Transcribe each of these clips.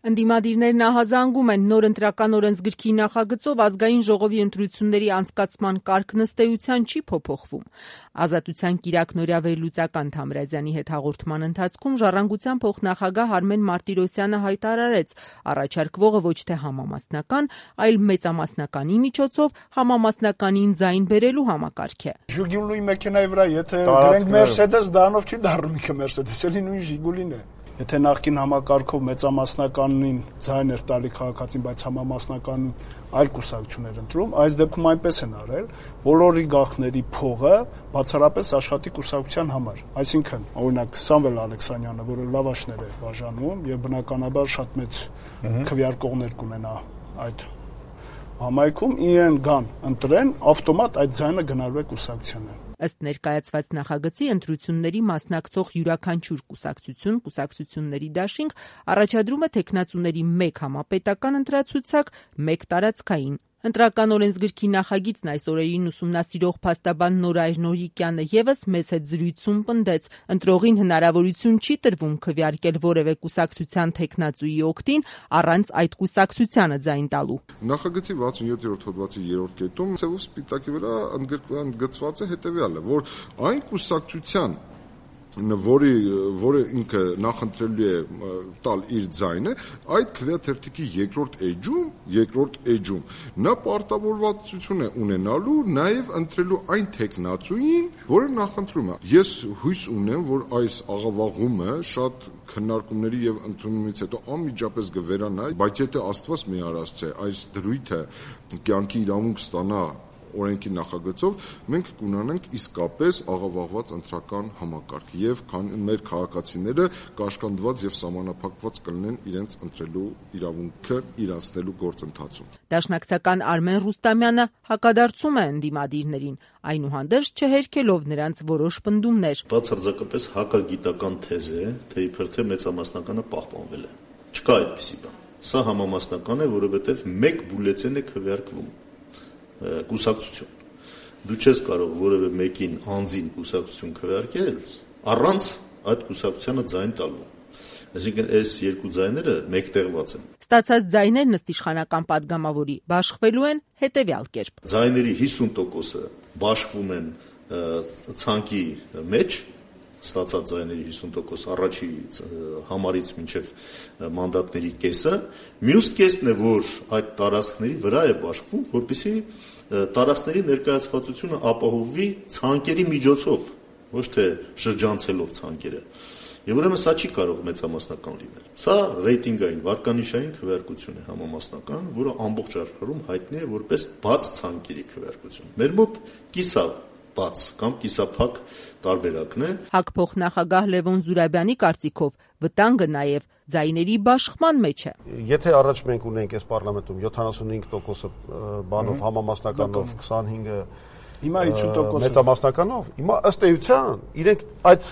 Ընդդիմադիրներն ահազանգում են նոր ընտրական օրենսգրքի նախագծով ազգային ժողովի ընտրությունների անցկացման կարգն ըստ էության չի փոփոխվում։ Ազատության կիրակնօրյա վերլուծական Թամրազյանի հետ հաղորդման ընթացքում Ժառանգության փոխնախագահ Արմեն Մարտիրոսյանը հայտարարեց, առաջարկվողը ոչ թե համամասնական, այլ մեծամասնականի միջոցով համամասնականին ձայն բերելու համակարգ է։ Ժուգուլուի մեքենայի վրա եթե գրենք Mercedes, դրանով չի դառնում ինքը Mercedes, էլի նույն Ժիգուլին է։ Եթե նախկին համակարգով մեծամասնականին ձայն էր տալի քաղաքացին, բայց համամասնականին այլ կուսակցություն էր ընտրում, այս դեպքում այնպես են արել, բոլորի գաղտների փողը բացառապես աշխատի կուսակցության համար։ Այսինքն, օրինակ Սամվել Ալեքսանյանը, որը լավաշներ է բաժանում եւ բնականաբար շատ մեծ քվեարկողներ կունենա այդ համայնքում, իրեն գան ընտրեն, ավտոմատ այդ ձայնը գնալու է կուսակցությանը։ Ըստ ներկայացված նախագծի ընտրությունների մասնակցող յուրաքանչյուր կուսակցությունների դաշինք առաջադրում է թեկնածուների 1 համապետական ընտրացուցակ, 1 տարածքային։ Ընտրական օրենսգրքի նախագիծն այս օրերին ուսումնասիրող փաստաբան Նորայր Նորիկյանը ևս մեծ հետ զրույցում պնդեց, ընտրողին հնարավորություն չի տրվում քվեարկել որևէ կուսակցության թեկնածուի օգտին առանց այդ կուսակցությանը ձայն տալու։ Նախագծի 67-րդ հոդվածի 3-րդ կետում ցեվով սպիտակի վրա ընդգծված է հետևյալը, որ այն կուսակցության որը ինքը նախընտրելու է տալ իր ձայնը, այդ քվեաթերթիկի երկրորդ էջում նա պարտավորվածություն է ունենալու նաև ընտրելու այն թեկնածուին, որը նախընտրում է։ Ես հույս ունեմ, որ այս աղավաղումը շատ քննարկումների եւ ընդունումից հետո անմիջապես կվերանա, բայց եթե Աստված մի արած այս դրույթը կյանքի իրավունք ստանա օրենքի նախագծով, մենք կունենանք իսկապես աղավաղված ընտրական համակարգ եւ մեր քաղաքացիները կաշկանդված եւ սահմանափակված կլինեն իրենց ընտրելու իրավունքը իրանցնելու գործընթացում։ Դաշնակցական Արմեն Ռուստամյանը հակադարձում է ընդդիմադիրներին, այնուհանդերձ չհերքելով նրանց որոշ պնդումներ։ Բացարձակապես հակագիտական թեզ է, թե իբր թե մեծամասնականը պահպանվել է։ Չկա այդպիսի բան։ Սա համամասնական է, որովհետեւ 1 բուլետեն է քվեարկվում կուսակցություն։ Դու չես կարող որևէ մեկին անձին կուսակցություն քվեարկել առանց այդ կուսակցությանը ձայն տալու։ Այսինքն այս երկու ձայները մեկտեղված են։ Ստացած ձայներն ըստ իշխանական падգամավորի բաշխվելու են հետևյալ կերպ։ Ձայների 50%-ը բաշխվում են ցանկի մեջ, ստացած ձայների 50% առաջի համարից մինչև մանդատների կեսը, մյուս կեսն է, որ այդ տարածքների վրա է բաշխվում, որպեսզի տարածքների ներկայացվածությունը ապահովվի ցանկերի միջոցով, ոչ թե շրջանցելով ցանկերը։ Եվ ուրեմն սա չի կարող մեծամասնական լինել։ Սա ռեյտինգային վարկանիշային քվեարկություն է համամասնական, որը ամբողջ աշխարհում հայտնի է որպես բաց ցանկերի քվեարկություն։ Մեր մոտ կիսաբաց կամ կիսափակ տարբերակն է։ ՀԱԿ փոխնախագահ Լևոն Զուրաբյանի կարծիքով վտանգը նաև ձայների բաշխման մեջ է։ Եթե առաջ մենք ունենք այս պարլամենտում 75%-ը բանով համամասնականով, 25-ը հիմա 50% մեծամասնականով, հիմա ըստ էության իրենք այդ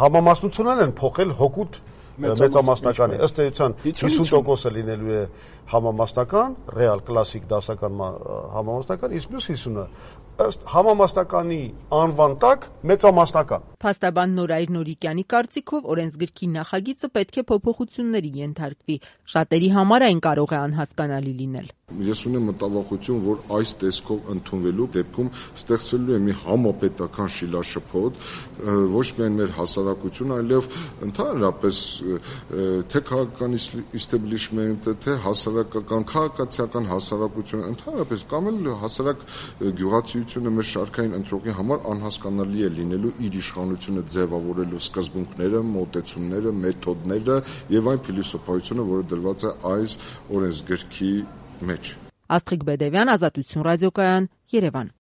համամասնությունն են փոխել հօգուտ մեծամասնականի, ըստ էության 50%-ը լինելու է համամասնական, ռեալ կլասիկ դասական համամասնական, իսկ մյուս 50-ը ըստ համամասնականի անվան տակ մեծամասնական։ Փաստաբան Նորայր Նորիկյանի կարծիքով օրենսգրքի նախագիծը պետք է փոփոխությունների ենթարկվի։ Շատերի համար այն կարող է անհասկանալի լինել։ Ես ունեմ մտավախություն, որ այս տեսքով ընդունվելու դեպքում ստեղծվելու է մի համապետական շիլաշփոթ, ոչ միայն մեր հասարակություն, այլև ընդհանրապես թե քաղաքական իստեբլիշմենտը, թե հասարակական քաղաքացիական հասարակությունը, ընդհանրապես կամ էլ հասարակ գյուղացիությունը մեր շարքային ընտրողի համար անհասկանալի է լինելու իր իշխանությունը ձևավորելու սկզբունքները, մոտեցումները, մեթոդները եւ այն փիլիսոփայությունը, որը դրված է այս օրենսգրքի մեջ։ Աստղիկ Բեդևյան, Ազատություն ռադիոկայան, Երևան։